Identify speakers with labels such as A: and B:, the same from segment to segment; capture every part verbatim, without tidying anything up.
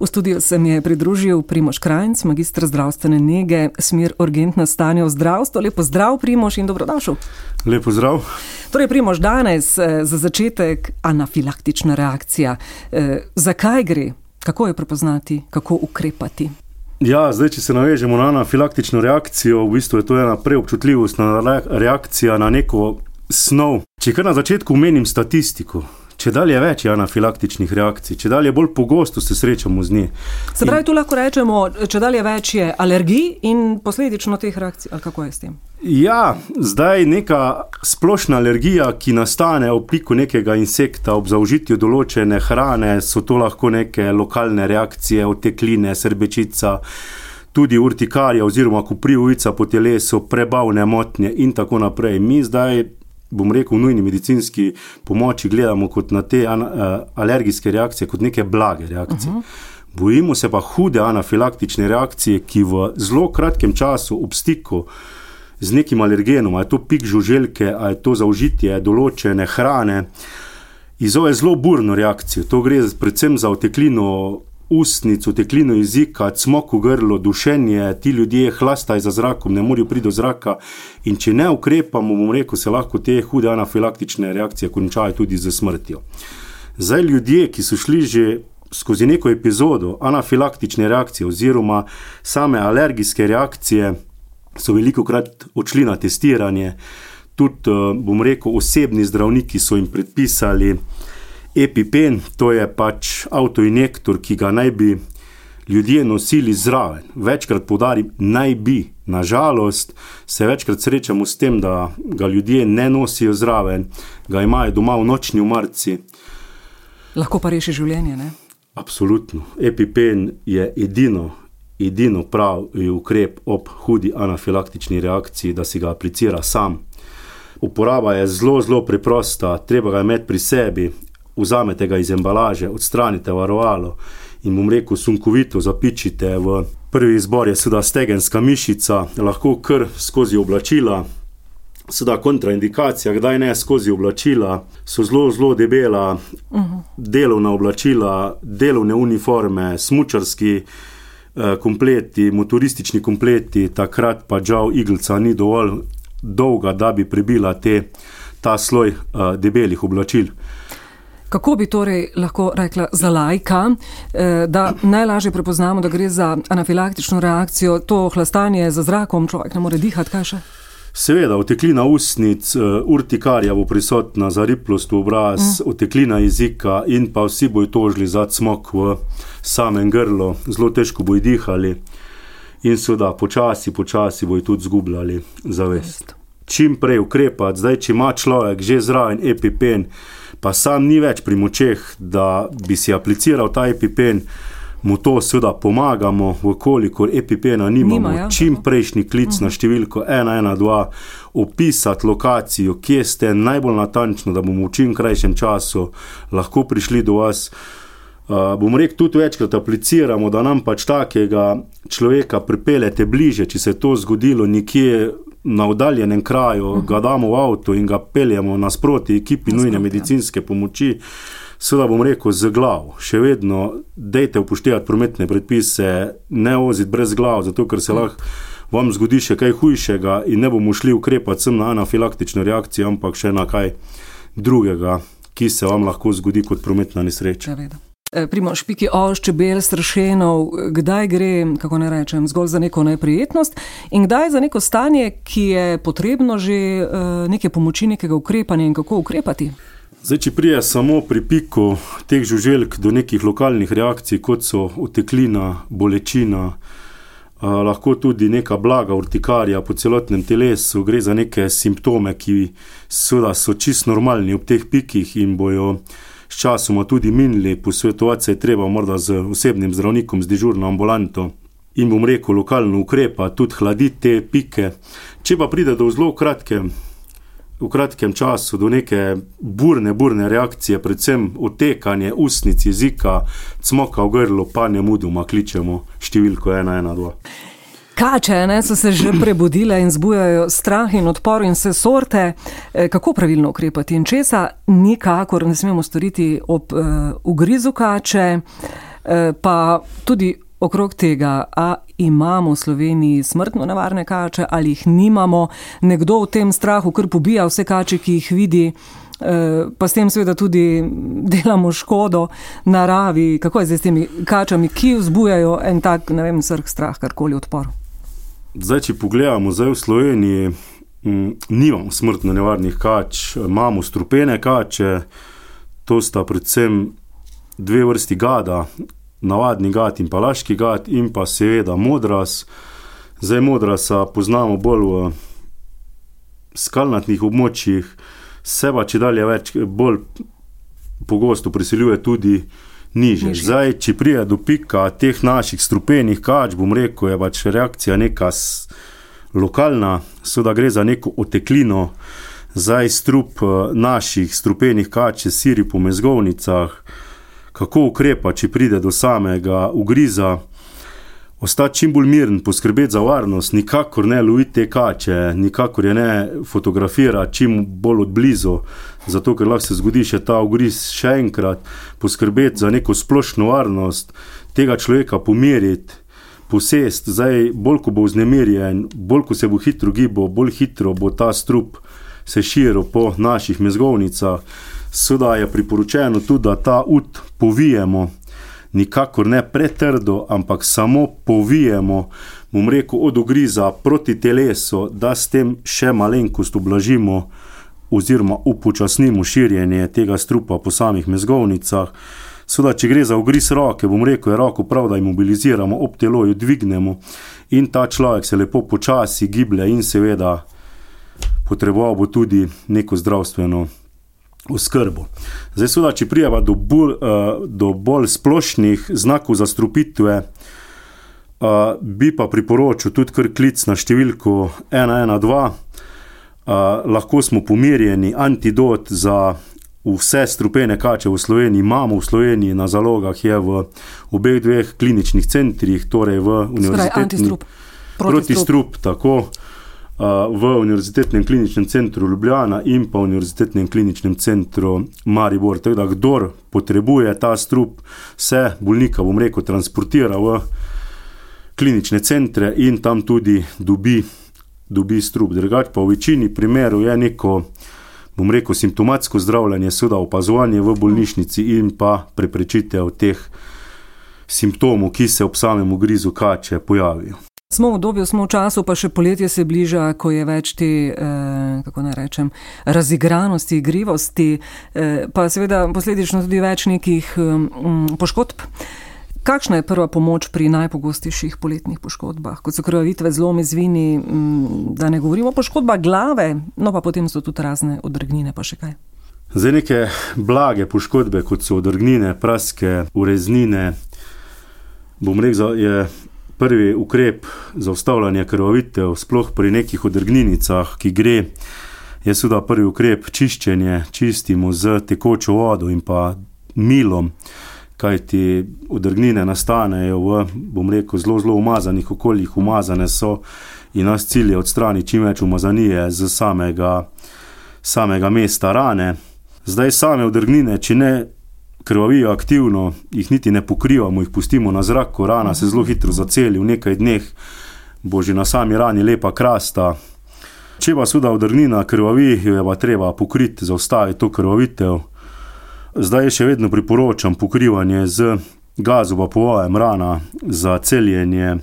A: V studiu se mi je pridružil Primož Krajnc, magister zdravstvene nege, smer urgentna stanja v zdravstvu. Lep pozdrav, Primož, in dobrodošel.
B: Lep pozdrav.
A: Torej, Primož, danes za začetek anafilaktična reakcija. E, zakaj gre? Kako jo prepoznati? Kako ukrepati?
B: Ja, zdaj, če se navežemo na anafilaktično reakcijo, v bistvu je to ena preobčutljivostna reakcija na neko snov. Če kar na začetku omenim statistiko, če dalje več je anafilaktičnih reakcij, če dalje bolj pogosto se srečamo z njih.
A: Se pravi, tu lahko rečemo, če dalje več je alergij in posledično teh reakcij, ali kako je s tem?
B: Ja, zdaj neka splošna alergija, ki nastane ob piku nekega insekta, ob zaužitju določene hrane, so to lahko neke lokalne reakcije, otekline, srbečica, tudi urtikarija oziroma koprivica po telesu, prebavne motnje in tako naprej. Mi zdaj, bom rekel, v nujni medicinski pomoči gledamo kot na te an, uh, alergijske reakcije, kot neke blage reakcije. Uh-huh. Bojimo se pa hude anafilaktične reakcije, ki v zelo kratkem času ob stiku z nekim alergenom, a je to pik žuželke, a je to zaužitje določene hrane, izzove zelo burno reakcijo. To gre predvsem za oteklino ustnic, oteklino jezika, cmok v grlo, dušenje, ti ljudje hlastajo za zrakom, ne morajo priti do zraka in če ne ukrepamo, bom rekel, se lahko te hude anafilaktične reakcije končajo tudi z smrtjo. Zdaj ljudje, ki so šli že skozi neko epizodo anafilaktične reakcije oziroma same alergijske reakcije, so velikokrat odšli na testiranje, tudi, bom rekel, osebni zdravniki so jim predpisali EpiPen, to je pač avtoinjektor, ki ga naj bi ljudje nosili zraven. Večkrat poudarim, naj bi. Nažalost se večkrat srečamo s tem, da ga ljudje ne nosijo zraven, ga imajo doma v nočni omarici.
A: Lahko pa reši življenje, ne?
B: Absolutno. EpiPen je edino, edino pravi ukrep ob hudi anafilaktični reakciji, da si ga aplicira sam. Uporaba je zelo, zelo preprosta, treba ga imeti pri sebi. Vzamete ga iz embalaže, odstranite varovalo in, bom rekel, sunkovito zapičite v prvi izbor je seveda stegenska mišica, lahko kar skozi oblačila, seveda kontraindikacija, kdaj ne skozi oblačila, so zelo, zelo debela, uh-huh. delovna oblačila, delovne uniforme, smučarski eh, kompleti, motoristični kompleti, takrat pa žal iglica ni dovolj dolga, da bi prebila te, ta sloj eh, debelih oblačil.
A: Kako bi torej lahko rekla za laika, da najlažje prepoznamo, da gre za anafilaktično reakcijo, to hlastanje za zrakom, človek ne more dihati, kaj še?
B: Seveda, oteklina ustnic, urtikarija bo prisotna, zariplost v obraz, mm. oteklina jezika in pa vsi bojo tožili za cmok v samem grlu, zelo težko bojo dihali in seveda počasi, počasi bojo tudi zgubljali zavest. Čim prej ukrepati, zdaj, če ima človek že zraven EpiPen, pa sam ni več pri močeh, da bi si apliciral ta EpiPen, mu to seveda pomagamo, vkolikor EpiPena nimamo, Nima, ja. čim prejšnji klic uh-huh. na številko ena ena dva, opisati lokacijo, kje ste najbolj natančno, da bomo v čim krajšem času lahko prišli do vas. Uh, bom rekel, tudi večkrat apliciramo, da nam pač takega človeka pripeljete bliže, če se je to zgodilo nekje na oddaljenem kraju, uh-huh. ga damo v avto in ga peljemo nasproti ekipi nujne medicinske pomoči, seveda bom rekel z glavo. Še vedno dejte upoštevati prometne predpise, ne voziti brez glav, zato ker se uh-huh. lahko vam zgodi še kaj hujšega in ne bomo šli ukrepati sem na anafilaktično reakcijo, ampak še na kaj drugega, ki se vam lahko zgodi kot prometna nesreča.
A: Primož, piki oš, čebel, strašenov, kdaj gre, kako ne rečem, zgolj za neko neprijetnost in kdaj za neko stanje, ki je potrebno že neke pomoči, nekega ukrepanja in kako ukrepati?
B: Zdaj, če prije samo pri piku teh žuželk do nekih lokalnih reakcij, kot so oteklina, bolečina, Uh, lahko tudi neka blaga urtikarija po celotnem telesu, gre za neke simptome, ki seveda so čisto normalni ob teh pikih in bojo s časoma tudi minili. Posvetovati se je treba morda z osebnim zdravnikom, z dežurno ambulanto in, bom rekel, lokalno ukrepa, tudi hladiti te pike. Če pa pride do zelo kratke, v kratkem času do neke burne, burne reakcije, predvsem otekanje ustnic, jezika, cmoka v grlu, pa nemudoma kličemo številko ena ena dva.
A: Kače, ne, so se že prebudile in zbujajo strah in odpor in vse sorte. Kako pravilno ukrepati in česa nikakor ne smemo storiti ob uh, ugrizu kače? Pa tudi okrog tega, a imamo v Sloveniji smrtno nevarne kače ali jih nimamo, nekdo v tem strahu kar pobija vse kače, ki jih vidi, pa s tem seveda tudi delamo škodo naravi. Kako je zdaj s temi kačami, ki vzbujajo en tak, ne vem, srh, strah, karkoli, odpor?
B: Zdaj, če pogledamo, zdaj v Sloveniji m, nimamo smrtno nevarnih kač, imamo strupene kače, to sta predvsem dve vrsti gada, navadni gad in pa laški gad in pa seveda modras. Zdaj modrasa poznamo bolj v skalnatnih območjih, se pa če dalje več bolj pogosto priseljuje tudi niže. Zdaj, če prije do pika teh naših strupenih kač, bom rekel, je pač reakcija neka lokalna, seveda gre za neko oteklino. Zdaj strup naših strupenih kač se siri po mezgovnicah. Kako ukrepa, če pride do samega ugriza, ostati čim bolj miren, poskrbeti za varnost, nikakor ne loviti te kače, nikakor je ne fotografirati čim bolj odblizu, zato ker lahko se zgodi še ta ugriz še enkrat, poskrbeti za neko splošno varnost, tega človeka pomiriti, posest. Zdaj, bolj ko bo vznemirjen, bolj ko se bo hitro gibal, bolj hitro bo ta strup se širil po naših mezgovnicah. Seveda je priporočeno tudi, da ta ud povijemo, nikakor ne pretrdo, ampak samo povijemo, bom rekel, od ugriza proti telesu, da s tem še malenkost ublažimo oziroma upočasnimo širjenje tega strupa po samih mezgovnicah. Seveda, če gre za ugriz roke, bom rekel, je roko prav, da jo mobiliziramo, ob telo jo dvignemo in ta človek se lepo počasi giblje in seveda potreboval bo tudi neko zdravstveno oskrbo. Zdaj, seveda, če prijeva do bolj, uh, do bolj splošnih znakov zastrupitve, uh, bi pa priporočil tudi kar klic na številko ena ena dva. Uh, lahko smo pomirjeni, antidot za vse strupene kače v Sloveniji imamo v Sloveniji, na zalogah je v obeh dveh kliničnih centrih, torej v univerzitetni protistrup, tako, v Univerzitetnem kliničnem centru Ljubljana in pa v Univerzitetnem kliničnem centru Maribor. Tako da, kdor potrebuje ta strup, se bolnika, bom rekel, transportira v klinične centre in tam tudi dobi, dobi strup. Drugače pa v večini primerov je neko, bom rekel, simptomatsko zdravljenje, seveda opazovanje v bolnišnici in pa preprečitev teh simptomov, ki se ob samem ugrizu kače pojavijo.
A: Smo v obdobju, smo v času, pa še poletje se bliža, ko je več te, eh, kako naj rečem, razigranosti, igrivosti, eh, pa seveda posledično tudi več nekih eh, poškodb. Kakšna je prva pomoč pri najpogostejših poletnih poškodbah, kot so krvavitve, zlomi, zvini, hm, da ne govorimo poškodba glave, no pa potem so tudi razne odrgnine, pa še kaj?
B: Zdaj, neke blage poškodbe, kot so odrgnine, praske, ureznine, bom rekel, je prvi ukrep za ustavljanje krvavitev, sploh pri nekih odrgninicah, ki gre, je seveda prvi ukrep čiščenje, čistimo z tekočo vodo in pa milom, kajti odrgnine nastanejo v, bom rekel, zelo, zelo umazanih okoljih, umazane so in nas cilj je odstraniti čim več umazanije z samega, samega mesta rane. Zdaj, same odrgnine, če ne krvavijo aktivno, jih niti ne pokrivamo, jih pustimo na zrak, ko rana se zelo hitro zaceli, v nekaj dneh bo že na sami rani lepa krasta. Če pa seveda odrgnina krvavi, jo je pa treba pokriti, zaustaviti to krvavitev. Zdaj še vedno priporočam pokrivanje z gazovapovajem rana za celjenje,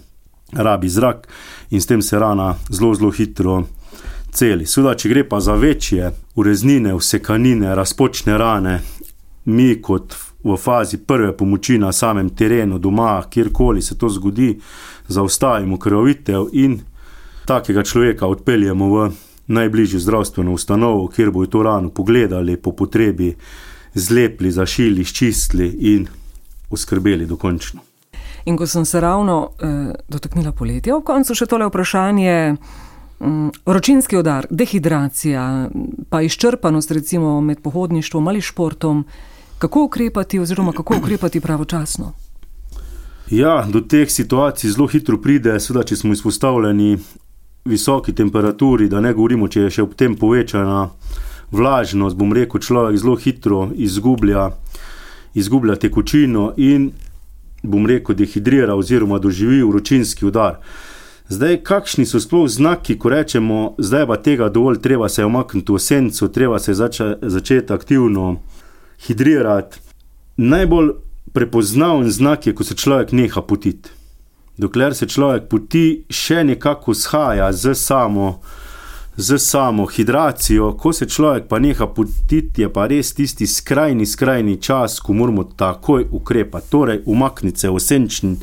B: rabi zrak in s tem se rana zelo, zelo hitro celi. Seveda, če gre pa za večje ureznine, vsekanine, razpočne rane, mi kot v fazi prve pomoči na samem terenu, doma, kjerkoli se to zgodi, zaustavimo krvavitev in takega človeka odpeljemo v najbližjo zdravstveno ustanovo, kjer bojo to rano pogledali, po potrebi zlepli, zašili, ščistili in oskrbeli dokončno.
A: In ko sem se ravno eh, dotaknila poletja, ob koncu še tole vprašanje, hm, vročinski udar, dehidracija, pa izčrpanost recimo med pohodništvom ali športom, kako ukrepati oziroma kako ukrepati pravočasno?
B: Ja, do teh situacij zelo hitro pride, seveda, če smo izpostavljeni visoki temperaturi, da ne govorimo, če je še ob tem povečana vlažnost, bom rekel, človek zelo hitro izgublja, izgublja tekočino in bom rekel, dehidrira oziroma doživi vročinski udar. Zdaj, kakšni so sploh znaki, ko rečemo, zdaj pa tega dovolj, treba se omakniti v senco, treba se zače, začeti aktivno hidrirati. Najbolj prepoznaven znak je, ko se človek neha potiti. Dokler se človek poti, še nekako shaja z samo, z samo hidracijo. Ko se človek pa neha potiti, je pa res tisti skrajni, skrajni čas, ko moramo takoj ukrepati. Torej, umakniti se v senčni,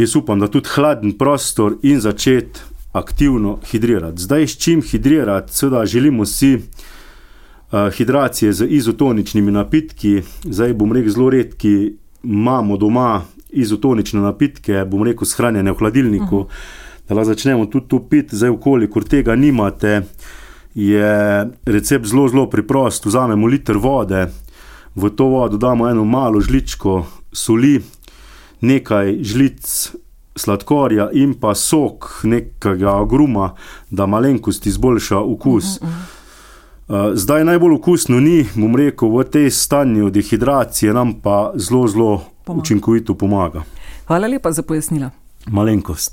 B: jaz upam, da tudi hladen prostor in začeti aktivno hidrirati. Zdaj, s čim hidrirati? Seveda želimo si uh, hidracije z izotoničnimi napitki. Zdaj, bom rekel, zelo redki imamo doma izotonične napitke, bom rekel, shranjene v hladilniku, uh -huh. da la začnemo tudi to piti. Zdaj, kolikor tega nimate, je recept zelo, zelo preprost. Vzamemo liter vode, v to vodo damo eno malo žličko soli, nekaj žlic sladkorja in pa sok nekega agruma, da malenkost izboljša okus. Uh -huh. Zdaj najbolj okusno ni, bom rekel, v tej stanju dehidracije nam pa zelo, zelo pomaga. Učinkovito pomaga.
A: Hvala lepa za pojasnila.
B: Malenkost.